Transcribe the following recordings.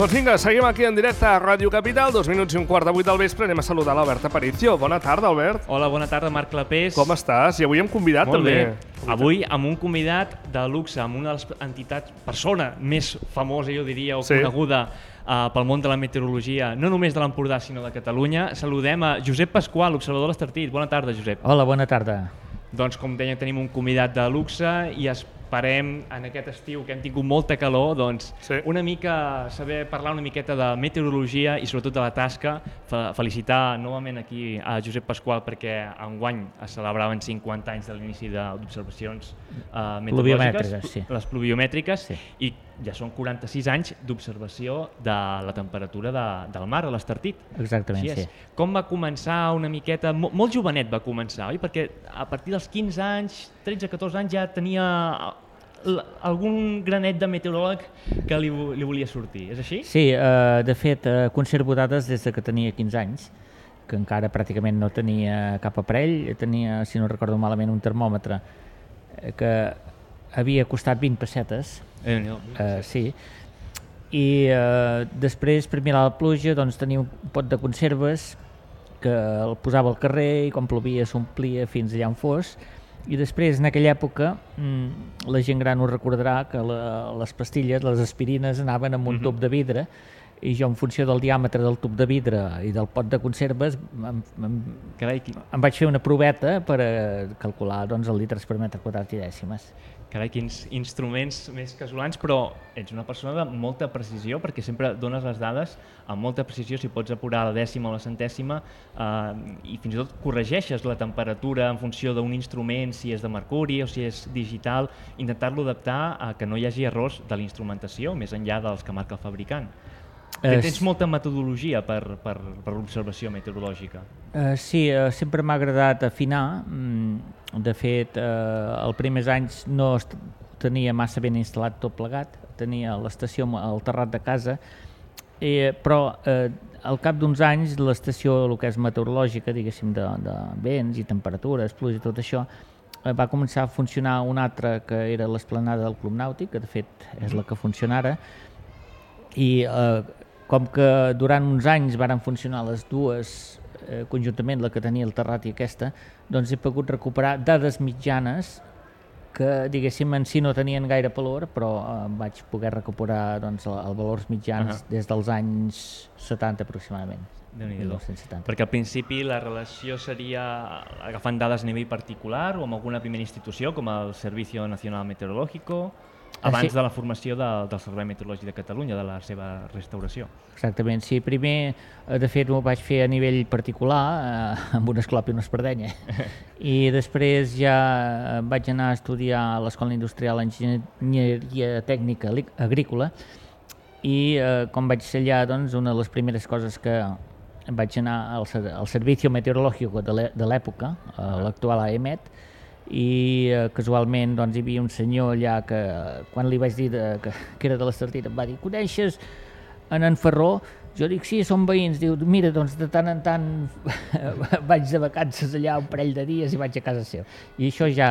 Doncs vinga, seguim aquí en directe a Ràdio Capital, 2 minuts i un quart de 8 del vespre. Anem a saludar l'Albert Aparicio. Bona tarda, Albert. Hola, bona tarda, Marc Clapés. Com estàs? I avui hem convidat Molt també. Bé. Avui amb un convidat de luxe, amb una de les entitats, persona més famosa, jo diria, o coneguda pel món de la meteorologia, no només de l'Empordà, sinó de Catalunya. Saludem a Josep Pasqual, observador de l'Estartit. Bona tarda, Josep. Hola, bona tarda. Doncs, com deia, tenim un convidat de luxe i esperem, en aquest estiu que hem tingut molta calor, doncs una mica saber parlar una miqueta de meteorologia i sobretot de la tasca. Felicitar novament aquí a Josep Pasqual perquè enguany es celebraven 50 anys de l'inici d'observacions meteorològiques, les pluviomètriques, i ja són 46 anys d'observació de la temperatura del mar a l'Estartit. Exactament, sí. Com va començar una miqueta? Molt jovenet va començar, oi? Perquè a partir dels 15 anys, 13-14 anys ja tenia algun granet de meteoròleg que li volia sortir, és així? Sí, de fet, conservo dades des que tenia 15 anys, que encara pràcticament no tenia cap aparell, tenia, si no recordo malament, un termòmetre que havia costat 20 pessetes, sí, i després, per mirar la pluja, doncs tenia un pot de conserves que el posava al carrer i quan plovia s'omplia fins allà on fos. I després, en aquella època, la gent gran ho recordarà que les pastilles, les aspirines, anaven amb un tub de vidre i jo, en funció del diàmetre del tub de vidre i del pot de conserves, em vaig fer una proveta per calcular els litres per metre quadrat i dècimes. Carai, quins instruments més casolans, però ets una persona de molta precisió perquè sempre dones les dades amb molta precisió, si pots apurar la dècima o la centèsima, i fins i tot corregeixes la temperatura en funció d'un instrument, si és de mercuri o si és digital, intentar-lo adaptar a que no hi hagi errors de la instrumentació, més enllà dels que marca el fabricant. Tens molta metodologia per l'observació meteorològica. Sí, sempre m'ha agradat afinar. De fet, els primers anys no tenia massa ben instal·lat tot plegat, tenia l'estació al terrat de casa, però al cap d'uns anys l'estació, el que és meteorològica, diguéssim, de vents i temperatures, pluja i tot això, va començar a funcionar una altra que era l'esplanada del Club Nàutic, que de fet és la que funciona ara, i com que durant uns anys varen funcionar les dues conjuntament, la que tenia el terrat i aquesta, doncs he pogut recuperar dades mitjanes que, diguéssim, en si no tenien gaire valor, però vaig poder recuperar els valors mitjans des dels anys 70 aproximadament. Perquè al principi la relació seria agafant dades a nivell particular o amb alguna primera institució com el Servicio Nacional Meteorológico, abans de la formació del Servei Meteorològic de Catalunya, de la seva restauració. Exactament, sí. Primer, de fet, ho vaig fer a nivell particular, amb un esclop i una espardenya, i després ja vaig anar a estudiar a l'Escola Industrial d'Enginyeria Tècnica Agrícola, i com vaig ser allà, doncs, una de les primeres coses que vaig anar al Servicio Meteorológico de l'època, l'actual AEMET, i casualment doncs, hi havia un senyor allà que quan li vaig dir que era de l'Estartit em va dir: coneixes en Ferró? Jo dic sí, són veïns. Diu, mira, doncs de tant en tant vaig de vacances allà un parell de dies i vaig a casa seva. I això ja,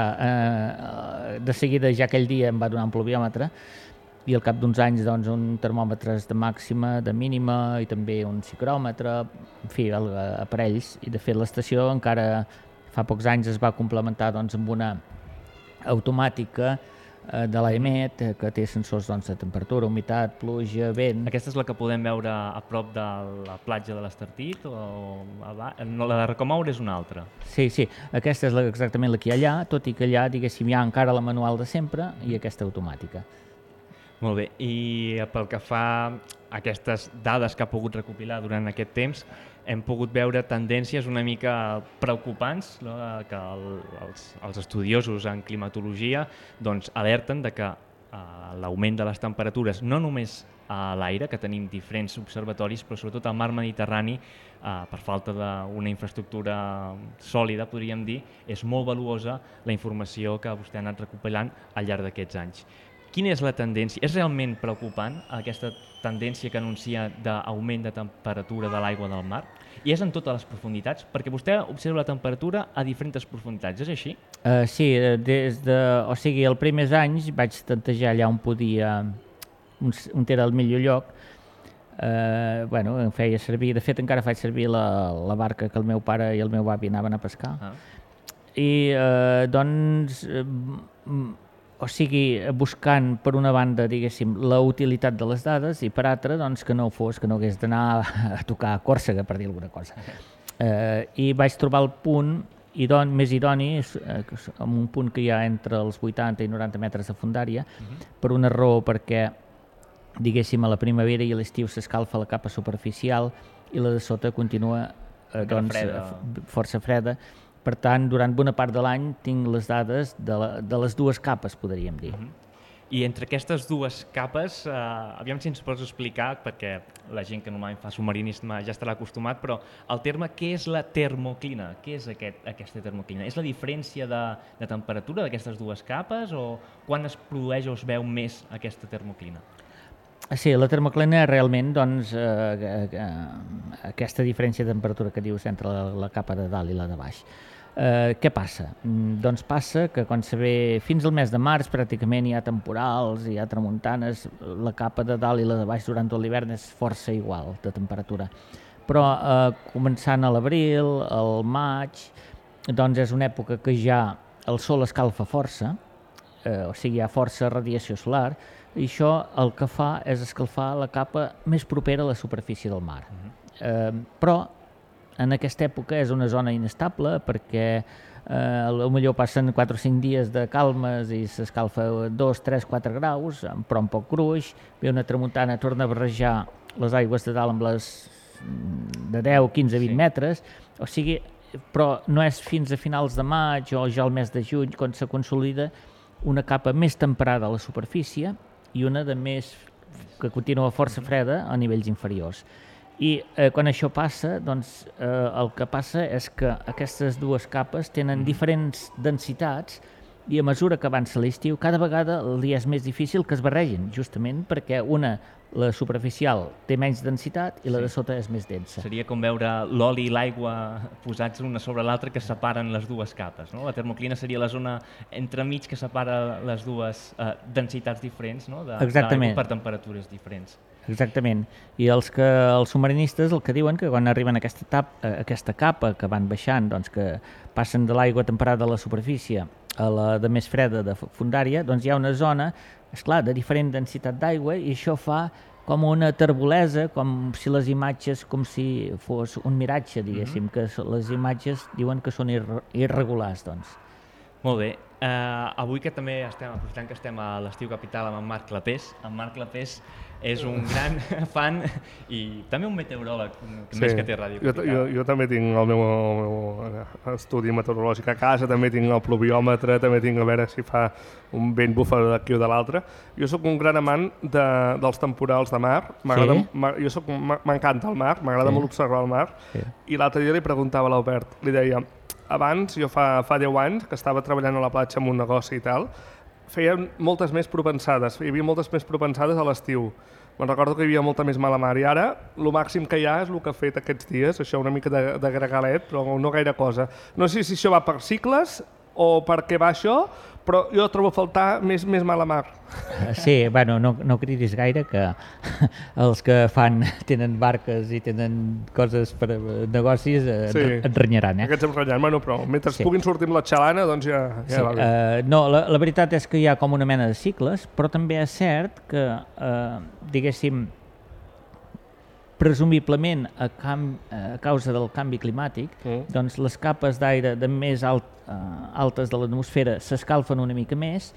de seguida, ja aquell dia em va donar un pluviòmetre i al cap d'uns anys doncs, un termòmetre de màxima, de mínima i també un ciclòmetre, en fi, aparells. I de fet l'estació encara fa pocs anys es va complementar amb una automàtica de l'AEMET que té sensors de temperatura, humitat, pluja, vent. Aquesta és la que podem veure a prop de la platja de l'Estartit? La de Rocamaur és una altra? Sí, aquesta és exactament la que hi ha allà, tot i que allà, diguéssim, hi ha encara la manual de sempre i aquesta automàtica. Molt bé, i pel que fa a aquestes dades que ha pogut recopilar durant aquest temps, hem pogut veure tendències una mica preocupants, no? Que els estudiosos en climatologia alerten de que l'augment de les temperatures, no només a l'aire, que tenim diferents observatoris, però sobretot al mar Mediterrani, per falta d'una infraestructura sòlida, podríem dir, és molt valuosa la informació que vostè ha anat recopilant al llarg d'aquests anys. Quina és la tendència? És realment preocupant aquesta tendència que anuncia d'augment de temperatura de l'aigua del mar? I és en totes les profunditats? Perquè vostè observa la temperatura a diferents profunditats, és així? Sí, o sigui, els primers anys vaig tantejar allà on podia, on era el millor lloc, em feia servir, de fet encara faig servir la barca que el meu pare i el meu avi anaven a pescar. I o sigui, buscant per una banda, diguéssim, la utilitat de les dades i per altra, doncs, que no hagués d'anar a tocar a Còrsega, per dir alguna cosa. I vaig trobar el punt més idoni, en un punt que hi ha entre els 80 i 90 metres de fondària, per una raó, perquè, diguéssim, a la primavera i a l'estiu s'escalfa la capa superficial i la de sota continua força freda. Per tant, durant bona part de l'any tinc les dades de les dues capes, podríem dir. I entre aquestes dues capes, aviam si ens pots explicar, perquè la gent que normalment fa submarinisme ja estarà acostumat, però el terme, què és la termoclina? Què és aquesta termoclina? És la diferència de temperatura d'aquestes dues capes o quan es produeix o es veu més aquesta termoclina? Sí, la termoclina realment, doncs, aquesta diferència de temperatura que dius entre la capa de dalt i la de baix. Què passa? Doncs passa que quan se ve fins al mes de març pràcticament hi ha temporals, hi ha tramuntanes, la capa de dalt i la de baix durant tot l'hivern és força igual de temperatura. Però començant a l'abril, al maig, doncs és una època que ja el sol escalfa força, o sigui, hi ha força radiació solar, i això el que fa és escalfar la capa més propera a la superfície del mar. Però en aquesta època és una zona inestable perquè potser passen 4 o 5 dies de calmes i s'escalfa 2, 3, 4 graus, però amb poc gruix, ve una tramuntana, torna a barrejar les aigües de dalt amb les de 10, 15, 20 metres, o sigui, però no és fins a finals de maig o ja al mes de juny quan se consolida una capa més temperada a la superfície i una de més que continua força freda a nivells inferiors. I quan això passa, doncs el que passa és que aquestes dues capes tenen diferents densitats i a mesura que avança l'estiu cada vegada el dia és més difícil que es barregin, justament perquè la superficial té menys densitat i la de sota és més densa. Seria com veure l'oli i l'aigua posats una sobre l'altra que separen les dues capes, no? La termoclina seria la zona entremig que separa les dues densitats diferents, no? Exactament. Per temperatures diferents. Exactament. I els submarinistes el que diuen que quan arriben a aquesta capa que van baixant, doncs que passen de l'aigua temperada a la superfície a la de més freda de fondària, doncs hi ha una zona, esclar, de diferent densitat d'aigua i això fa com una terbolesa, com si les imatges, com si fos un miratge, diguéssim, que les imatges diuen que són irregulars, doncs. Molt bé. Avui que també aprofitant que estem a l'Estiu Capital amb en Marc Clapés. En Marc Clapés és un gran fan i també un meteoròleg, més que té Ràdio Capital. Jo també tinc el meu estudi meteorològic a casa, també tinc el pluviòmetre, també tinc a veure si fa un vent bufa d'aquí o de l'altre. Jo sóc un gran amant dels temporals de mar. M'encanta el mar, m'agrada molt observar el mar. I l'altre dia li preguntava a l'Albert, li deia, abans, jo fa 10 anys, que estava treballant a la platja en un negoci i tal, feia moltes més propensades, hi havia moltes més propensades a l'estiu. Me'n recordo que hi havia molta més mala mar i ara el màxim que hi ha és el que ha fet aquests dies, això una mica de gregalet, però no gaire cosa. No sé si això va per cicles o per què va això, però jo trobo a faltar més mala mar. Sí, bueno, no cridis gaire, que els que tenen barques i tenen coses per negocis et renyaran. Aquests em renyaran, bueno, però mentre puguin sortir amb la xalana, doncs ja va bé. No, la veritat és que hi ha com una mena de cicles, però també és cert que, diguéssim, presumiblement a causa del canvi climàtic, doncs les capes d'aire de més altes de l'atmosfera s'escalfen una mica més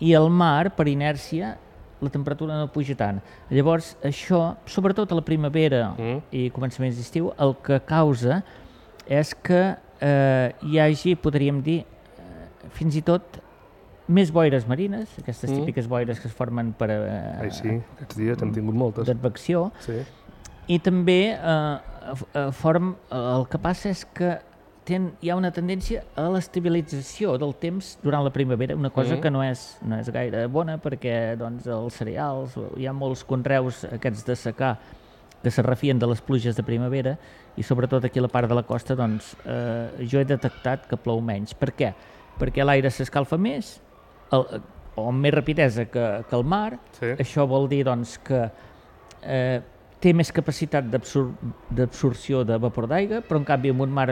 i el mar, per inèrcia, la temperatura no puja tant. Llavors, això, sobretot a la primavera i començaments d'estiu, el que causa és que hi hagi, podríem dir, fins i tot més boires marines, aquestes típiques boires que es formen per... Sí, aquests dies hem tingut moltes. D'advecció. Sí. I també el que passa és que hi ha una tendència a l'estabilització del temps durant la primavera, una cosa que no és gaire bona perquè doncs, els cereals, hi ha molts conreus aquests de secà que se refien de les pluges de primavera i sobretot aquí a la part de la costa doncs, jo he detectat que plou menys. Per què? Perquè l'aire s'escalfa més o amb més rapidesa que el mar. Això vol dir doncs, que té més capacitat d'absorció de vapor d'aigua, però en canvi en un mar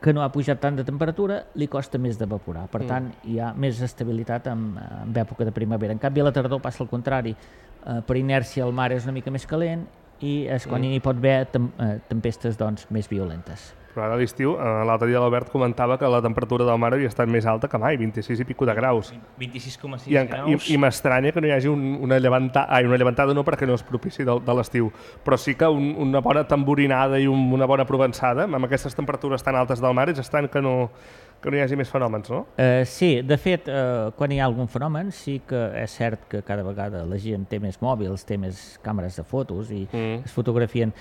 que no ha pujat tant de temperatura li costa més d'evaporar. Per tant, hi ha més estabilitat en època de primavera. En canvi a la tardor passa el contrari. Per inèrcia el mar és una mica més calent i és quan hi pot haver tempestes més violentes. Però ara a l'estiu, l'altre dia l'Albert comentava que la temperatura del mar havia estat més alta que mai, 26 i pico de graus. 26,6 graus. I m'estranya que no hi hagi una llevantada no perquè no és propici de l'estiu, però sí que una bona tamborinada i una bona provençada, amb aquestes temperatures tan altes del mar, és estrany que no hi hagi més fenòmens, no? Sí, de fet, quan hi ha algun fenomen, sí que és cert que cada vegada la gent té més mòbils, té més càmeres de fotos i es fotografien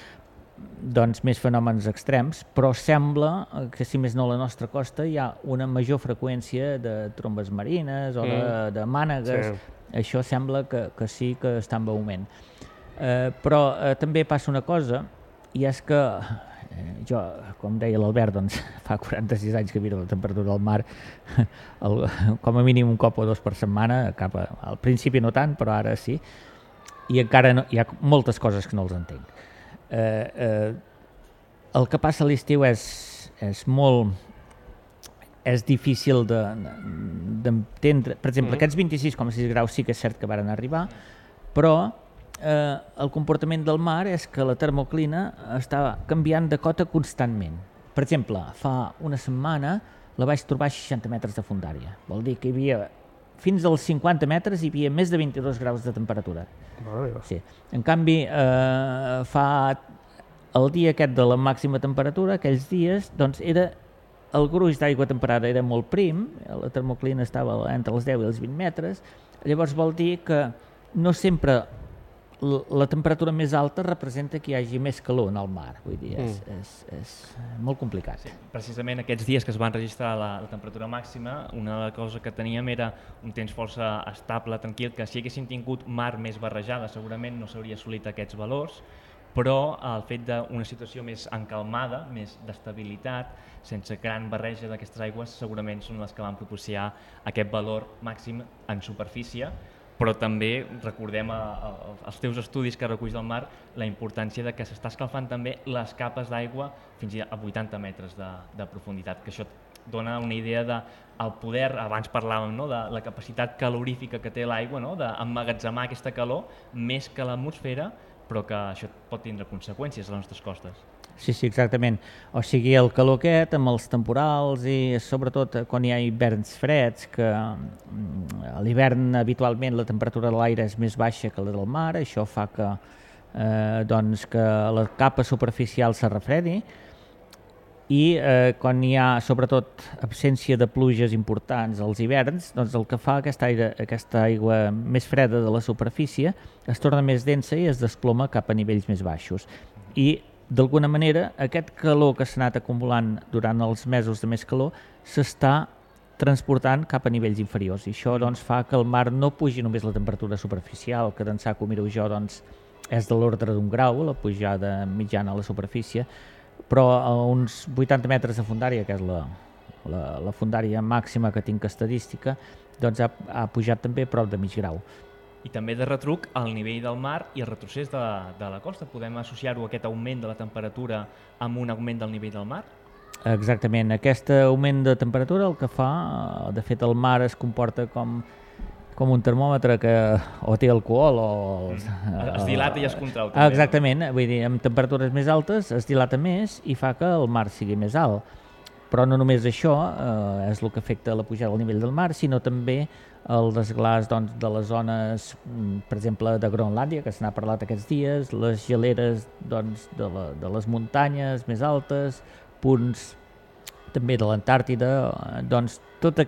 més fenòmens extrems, però sembla que, si més no a la nostra costa, hi ha una major freqüència de trombes marines o de mànegues. Sí. Això sembla que sí que està en augment. Però també passa una cosa, i és que jo, com deia l'Albert, fa 46 anys que miro la temperatura del mar, com a mínim un cop o dos per setmana, al principi no tant, però ara sí, i encara hi ha moltes coses que no els entenc. El que passa a l'estiu és difícil d'entendre. Per exemple, aquests 26,6 graus sí que és cert que varen arribar, però el comportament del mar és que la termoclina està canviant de cota constantment. Per exemple, fa una setmana la vaig trobar a 60 metres de fondària. Vol dir que hi havia fins als 50 metres hi havia més de 22 graus de temperatura. Sí. En canvi, el dia aquest de la màxima temperatura, aquells dies, el gruix d'aigua temperada era molt prim, la termoclina estava entre els 10 i els 20 metres, llavors vol dir que no sempre la temperatura més alta representa que hi hagi més calor en el mar, vull dir, és molt complicat. Sí, precisament aquests dies que es van registrar la temperatura màxima, una de les coses que teníem era un temps força estable, tranquil, que si haguéssim tingut mar més barrejada segurament no s'hauria assolit aquests valors, però el fet d'una situació més encalmada, més d'estabilitat, sense gran barreja d'aquestes aigües, segurament són les que van propiciar aquest valor màxim en superfície, però també recordem als teus estudis que reculls del mar la importància de que s'està escalfant també les capes d'aigua fins a 80 metres de profunditat, que això dona una idea del poder, abans parlàvem de la capacitat calorífica que té l'aigua, d'emmagatzemar aquesta calor més que l'atmosfera, però que això pot tindre conseqüències a les nostres costes. Sí, exactament. O sigui, el calor aquest amb els temporals i sobretot quan hi ha hiverns freds, que a l'hivern habitualment la temperatura de l'aire és més baixa que la del mar, això fa que la capa superficial se refredi i quan hi ha sobretot absència de pluges importants als hiverns, el que fa aquesta aigua més freda de la superfície es torna més densa i es desploma cap a nivells més baixos. I d'alguna manera, aquest calor que s'ha anat acumulant durant els mesos de més calor s'està transportant cap a nivells inferiors i això fa que el mar no pugi només la temperatura superficial, que d'ençà que ho miro jo és de l'ordre d'un grau, la pujada mitjana a la superfície, però a uns 80 metres de fondària, que és la fondària màxima que tinc estadística, ha pujat també prop de mig grau. I també de retruc el nivell del mar i el retrocés de la costa. Podem associar-ho a aquest augment de la temperatura amb un augment del nivell del mar? Exactament. Aquest augment de temperatura el que fa, de fet el mar es comporta com un termòmetre que o té alcohol o... Es dilata i es contrau. També, exactament, vull dir, amb temperatures més altes es dilata més i fa que el mar sigui més alt. Però no només això és el que afecta la pujada del nivell del mar, sinó també el desglàs de les zones, per exemple, de Groenlàndia, que se n'ha parlat aquests dies, les geleres de les muntanyes més altes, punts també de l'Antàrtida, tot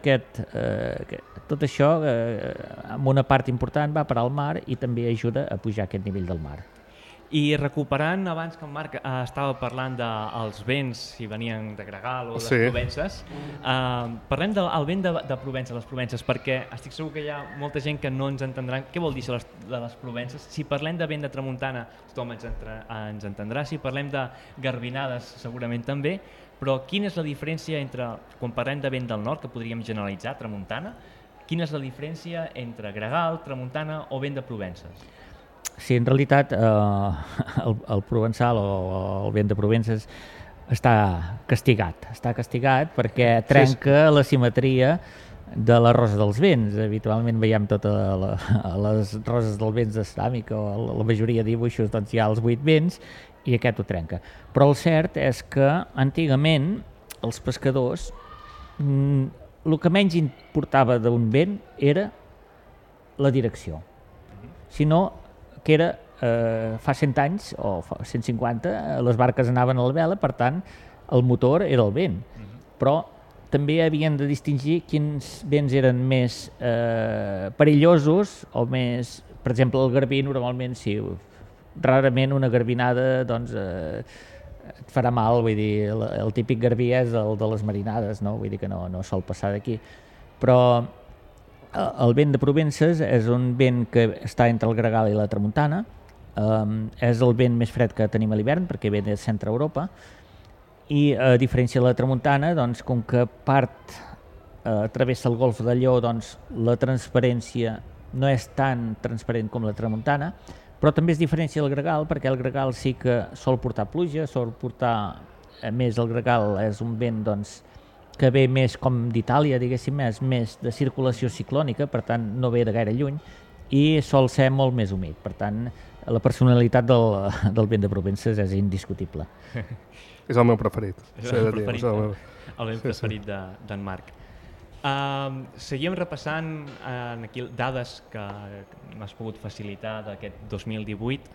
això, amb una part important, va parar al mar i també ajuda a pujar aquest nivell del mar. I recuperant, abans que en Marc estava parlant dels vents, si venien de Gregal o de Provences, parlem del vent de Provença, les Provences, perquè estic segur que hi ha molta gent que no ens entendrà què vol dir això de les Provences. Si parlem de vent de tramuntana, tothom ens entendrà, si parlem de garbinades segurament també, però quina és la diferència entre, quan parlem de vent del nord, que podríem generalitzar, tramuntana, quina és la diferència entre Gregal, tramuntana o vent de Provences? Sí, en realitat el provençal o el vent de Provences està castigat perquè trenca la simetria de la rosa dels vents. Habitualment veiem les roses dels vents de ceràmica o la majoria de dibuixos, doncs hi ha els 8 vents i aquest ho trenca. Però el cert és que antigament els pescadors el que menys importava d'un vent era la direcció, sinó que era fa 100 anys o fa 150 les barques anaven a la vela, per tant el motor era el vent, però també havien de distingir quins vents eren més perillosos o més, per exemple el garbí normalment sí, rarament una garbinada doncs et farà mal, vull dir, el típic garbí és el de les marinades, no? Vull dir que no sol passar d'aquí, però el vent de Provences és un vent que està entre el gregal i la tramuntana, és el vent més fred que tenim a l'hivern perquè ve de centre Europa i a diferència de la tramuntana, doncs, com que part travessa el golf de Lió, doncs, la transparència no és tan transparent com la tramuntana, però també es diferencia del gregal perquè el gregal sí que sol portar pluja, sol portar, a més el gregal és un vent doncs, que ve més com d'Itàlia, diguéssim, és més de circulació ciclònica, per tant no ve de gaire lluny i sol ser molt més humit, per tant la personalitat del vent de Provences és indiscutible. És el meu preferit. És el meu preferit d'en Marc. Seguim repassant aquí dades que m'has pogut facilitar d'aquest 2018.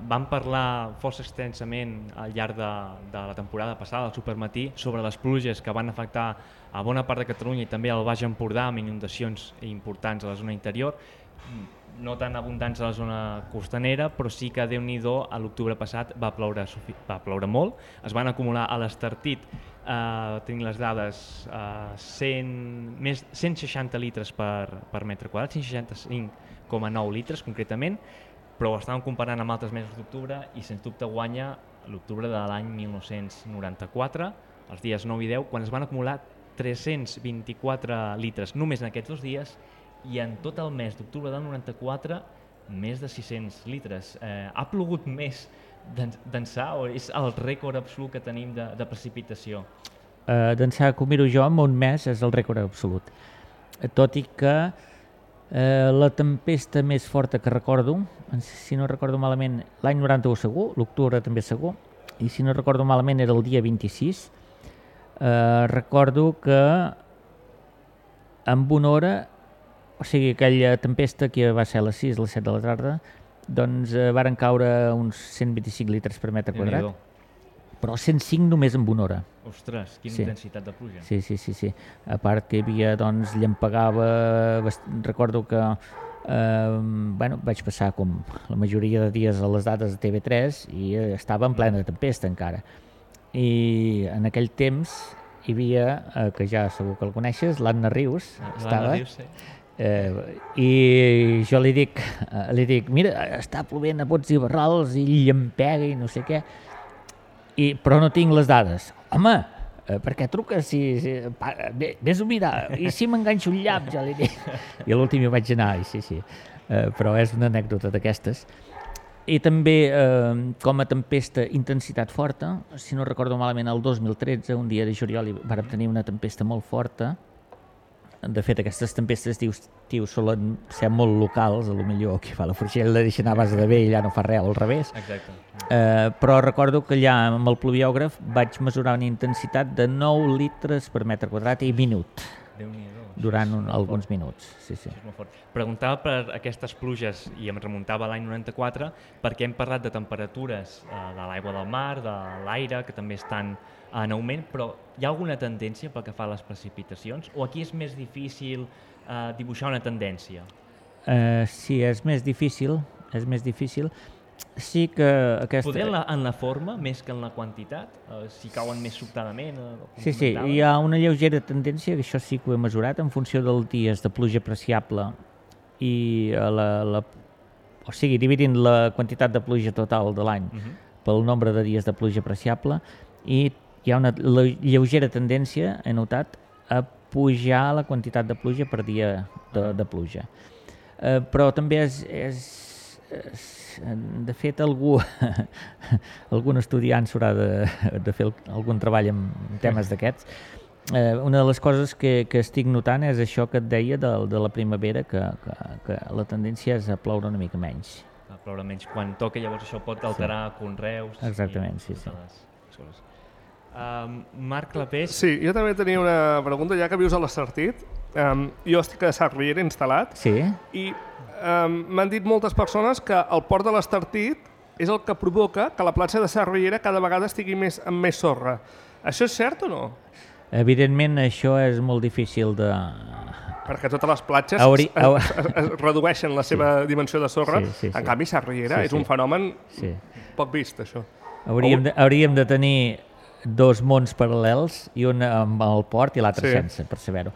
Vam parlar força extensament al llarg de la temporada passada, al Supermatí, sobre les pluges que van afectar a bona part de Catalunya i també al Baix Empordà amb inundacions importants a la zona interior, no tan abundants a la zona costanera, però sí que Déu-n'hi-do, a l'octubre passat va ploure molt, es van acumular a l'Estartit, tenim les dades, més 160 litres per metre quadrat, 165,9 litres concretament, però ho estàvem comparant amb altres mesos d'octubre i sens dubte guanya l'octubre de l'any 1994, els dies 9 i 10, quan es van acumular 324 litres només en aquests 2 dies, i en tot el mes d'octubre del 94 més de 600 litres. Ha plogut més d'ençà o és el rècord absolut que tenim de precipitació? D'ençà que ho miro jo, en un mes és el rècord absolut. Tot i que la tempesta més forta que recordo, si no recordo malament, l'any 91 segur, l'octubre també segur, i si no recordo malament era el dia 26, recordo que amb una hora, o sigui, aquella tempesta que va ser a les 6, a les 7 de la tarda, doncs varen caure uns 125 litres per metre quadrat, però 105 només en una hora. Ostres, quina intensitat de pluja. Sí. A part que hi havia, doncs, llampegava, recordo que vaig passar com la majoria de dies a les dades de TV3 i estava en plena tempesta encara. I en aquell temps hi havia, que ja segur que el coneixes, l'Anna Rius, estava... i jo li dic, mira, està plovent a bots i barrals i llampega i no sé què, però no tinc les dades. Home, per què truques? Vés-ho mirar, i si m'enganxo un llap, ja li dic. I a l'últim hi vaig anar, sí. Però és una anècdota d'aquestes. I també, com a tempesta, intensitat forta, si no recordo malament, el 2013, un dia de juliol, vam tenir una tempesta molt forta. De fet, aquestes tempestes d'estiu solen ser molt locals, potser qui fa la forxella la deixa anar a base de vell, ja no fa res, al revés. Exacte. Però recordo que allà amb el pluviògraf vaig mesurar una intensitat de 9 litres per metre quadrat i minut. Durant alguns minuts. Sí. És molt fort. Preguntava per aquestes pluges i em remuntava a l'any 94 perquè hem parlat de temperatures de l'aigua del mar, de l'aire, que també estan en augment, però hi ha alguna tendència pel que fa a les precipitacions? O aquí és més difícil dibuixar una tendència? Sí, és més difícil. Sí que aquesta... Poder en la forma més que en la quantitat? Si cauen més sobtadament? Sí, hi ha una lleugera tendència, que això sí que ho he mesurat, en funció dels dies de pluja apreciable i o sigui, dividint la quantitat de pluja total de l'any pel nombre de dies de pluja apreciable, i hi ha una lleugera tendència, he notat, a pujar la quantitat de pluja per dia de pluja. Però també és de fet, algun estudiant s'haurà de fer algun treball en temes d'aquests. Una de les coses que estic notant és això que et deia de la primavera, que la tendència és a ploure una mica menys. A ploure menys quan toca, llavors això pot alterar conreus. Exactament, sí. Les coses. Marc Clapés. Sí, jo també tenia una pregunta, ja que vius a l'Estartit. Jo estic a Sarriera instal·lat i m'han dit moltes persones que el port de l'Estartit és el que provoca que la platja de Sarriera cada vegada estigui amb més sorra. Això és cert o no? Evidentment, això és molt difícil de... Perquè totes les platges es redueixen la seva dimensió de sorra. En canvi, Sarriera és un fenomen poc vist, això. Hauríem de tenir dos mons paral·lels, i un amb el port i l'altre sense, per saber-ho.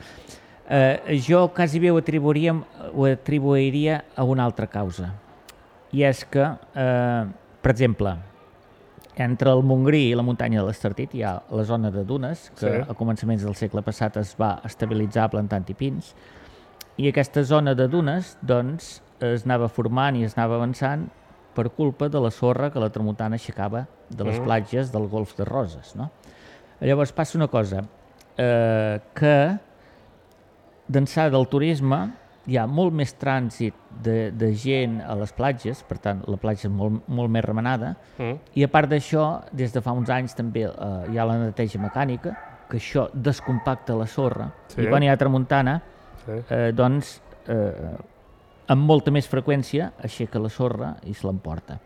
Jo quasi bé ho atribuiria a una altra causa. I és que, per exemple, entre el Montgrí i la muntanya de l'Estartit hi ha la zona de dunes, que a començaments del segle passat es va estabilitzar plantant-hi pins, i aquesta zona de dunes doncs, es anava formant i es anava avançant per culpa de la sorra que la tramuntana aixecava de les platges del Golf de Roses. No? Llavors passa una cosa, que d'ençà del turisme hi ha molt més trànsit de gent a les platges, per tant la platja és molt més remenada, i a part d'això, des de fa uns anys també hi ha la neteja mecànica, que això descompacta la sorra, i quan hi ha tramuntana, doncs amb molta més freqüència aixeca la sorra i se l'emporta.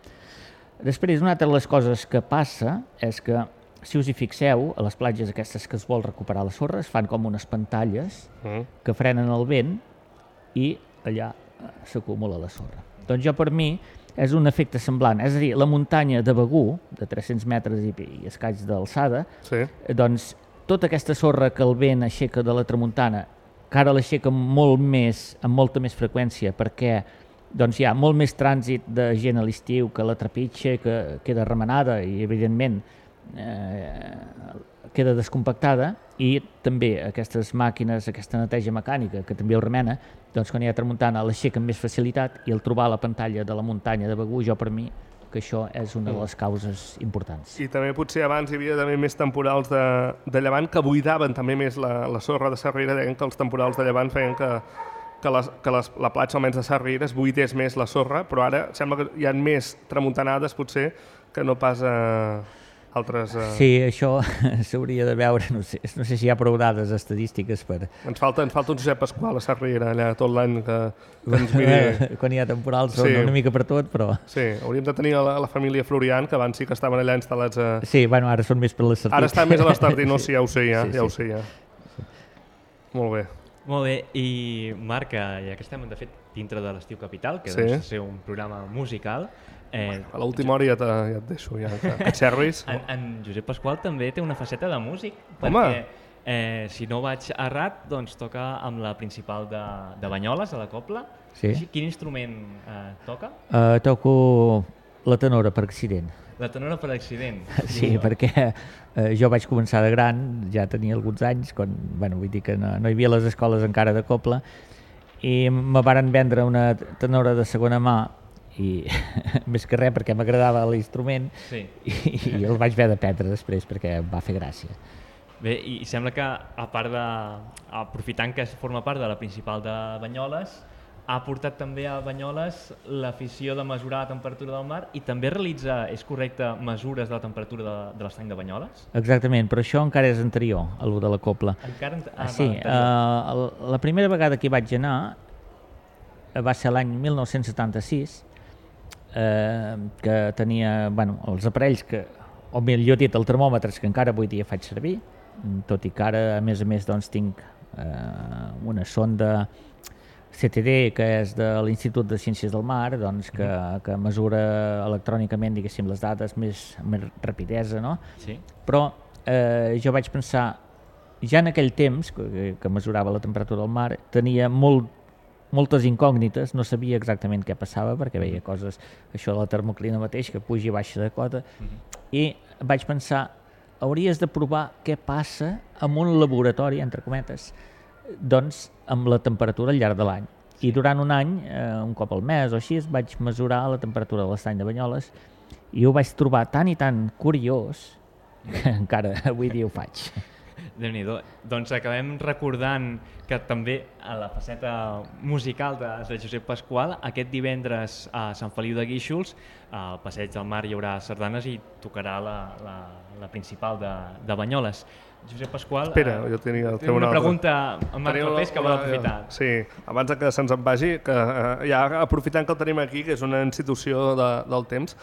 Després, una altra de les coses que passa és que, si us hi fixeu, a les platges aquestes que es vol recuperar la sorra, es fan com unes pantalles que frenen el vent i allà s'acumula la sorra. Doncs jo, per mi, és un efecte semblant. És a dir, la muntanya de Begur, de 300 metres i escaig d'alçada, doncs tota aquesta sorra que el vent aixeca de la tramuntana, que ara l'aixeca molt més, amb molta més freqüència, perquè doncs, hi ha molt més trànsit de gent a l'estiu que la trepitja, que queda remenada i, evidentment, queda descompactada, i també aquestes màquines, aquesta neteja mecànica, que també ho remena, doncs quan hi ha tramuntana l'aixeca amb més facilitat, i el trobar la pantalla de la muntanya de Begur, jo per mi, que això és una de les causes importants. I també potser abans hi havia també més temporals de llevant que buidaven també més la sorra de Sarriera, deien que els temporals de llevant feien que la platja, almenys de Sarriera, es buidés més la sorra, però ara sembla que hi ha més tramuntanades potser que no pas altres... Sí, això s'hauria de veure, no sé si hi ha prou dades estadístiques per... Ens falta un Josep Pasqual a Sarriera allà tot l'any que ens miri... Quan hi ha temporals són una mica per tot, però... Sí, hauríem de tenir la família Florian, que abans sí que estaven allà instal·lats a... Sí, bueno, ara són més per l'Estartit. Ara estan més a l'Estartit, no? Sí, ja ho sé, ja ho sé, ja. Molt bé. Molt bé, i Marc, ja que estem, de fet, dintre de l'Estiu Capital, que deu ser un programa musical... A l'última hora ja et deixo, ja que xerris. En Josep Pasqual també té una faceta de músic, perquè si no vaig errat, doncs toca amb la principal de Banyoles, a la Cobla. Quin instrument toca? Toco la tenora per accident. La tenora per accident? Sí, perquè jo vaig començar de gran, ja tenia alguns anys, quan, vull dir que no hi havia les escoles encara de Cobla, i me varen vendre una tenora de segona mà, i més que res perquè m'agradava l'instrument, i el vaig haver d'aprendre després perquè em va fer gràcia. Bé, i sembla que, a part aprofitant que forma part de la principal de Banyoles, ha portat també a Banyoles l'afició de mesurar la temperatura del mar i també realitza, és correcte, mesures de la temperatura de l'estany de Banyoles? Exactament, però això encara és anterior a lo de la Cobla. Sí, la primera vegada que hi vaig anar va ser l'any 1976, que tenia els aparells o millor dit, el termòmetres que encara avui dia faig servir, tot i que ara a més doncs, tinc una sonda CTD, que és de l'Institut de Ciències del Mar, doncs, que mesura electrònicament, diguéssim, les dades amb més rapidesa, no? Però jo vaig pensar, ja en aquell temps que mesurava la temperatura del mar, tenia moltes incògnites, no sabia exactament què passava perquè veia coses, això de la termoclina mateix, que puja i baixa de cota, i vaig pensar, hauries de provar què passa en un laboratori, entre cometes, doncs amb la temperatura al llarg de l'any. I durant un any, un cop al mes o així, vaig mesurar la temperatura de l'estany de Banyoles i ho vaig trobar tan i tan curiós que encara avui dia ho faig. Déu-n'hi-do. Doncs acabem recordant que també a la faceta musical de Josep Pasqual, aquest divendres a Sant Feliu de Guíxols, al Passeig del Mar hi haurà sardanes i tocarà la principal de Banyoles. Josep Pasqual, Espera, jo tenia una pregunta amb Marc Clapés que vol aprofitar. Sí, abans que se'ns en vagi, que ja aprofitant que el tenim aquí, que és una institució del temps,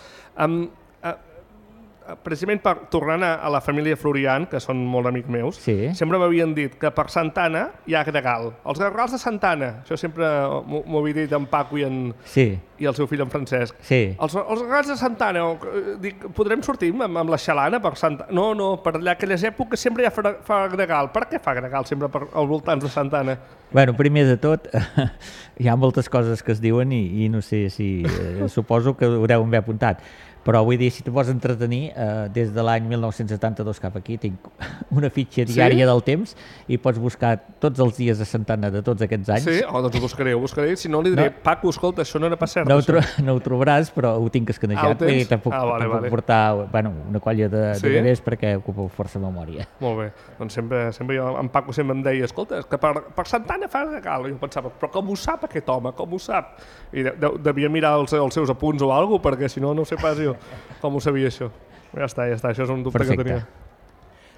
precisament tornant a la família Florian, que són molt amics meus, sempre m'havien dit que per Santa Anna hi ha gregal. Els gregals de Santa Anna, això sempre m'ho havia dit en Paco i el seu fill en Francesc. Els gregals de Santa Anna, dic, podrem sortir amb la xalana per Santa Anna? No, per allà aquelles èpoques sempre ja fa gregal. Per què fa gregal sempre als voltants de Santa Anna? Bueno, primer de tot, hi ha moltes coses que es diuen i no sé si... suposo que ho haureu haver apuntat. Però vull dir, si te vols entretenir, des de l'any 1972 cap aquí tinc una fitxa diària del temps i pots buscar tots els dies de Santa Anna de tots aquests anys. Sí? Doncs ho buscaré. Si no, li diré, Paco, escolta, això no era pas cert. No ho trobaràs, però ho tinc escanejat i te'n puc portar una colla de bebès perquè ocupa força memòria. Molt bé. Doncs sempre jo, en Paco sempre em deia, escolta, que per Santa Anna fa regal. I jo pensava, però com ho sap aquest home? Com ho sap? I devia mirar els seus apunts o alguna cosa, perquè si no, no sé pas jo com ho sabia això. Ja està, això és un dubte que tenia.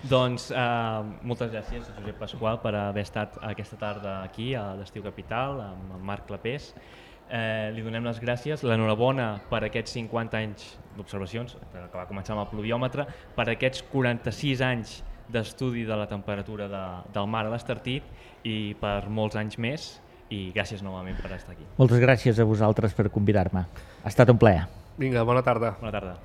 Doncs moltes gràcies, Josep Pasqual, per haver estat aquesta tarda aquí a l'Estiu Capital amb Marc Clapés. Li donem les gràcies, l'enhorabona per aquests 50 anys d'observacions, que va començar amb el pluviòmetre, per aquests 46 anys d'estudi de la temperatura del mar a l'Estartit i per molts anys més, i gràcies novament per estar aquí. Moltes gràcies a vosaltres per convidar-me. Ha estat un plaer. Vinga, bona tarda. Bona tarda.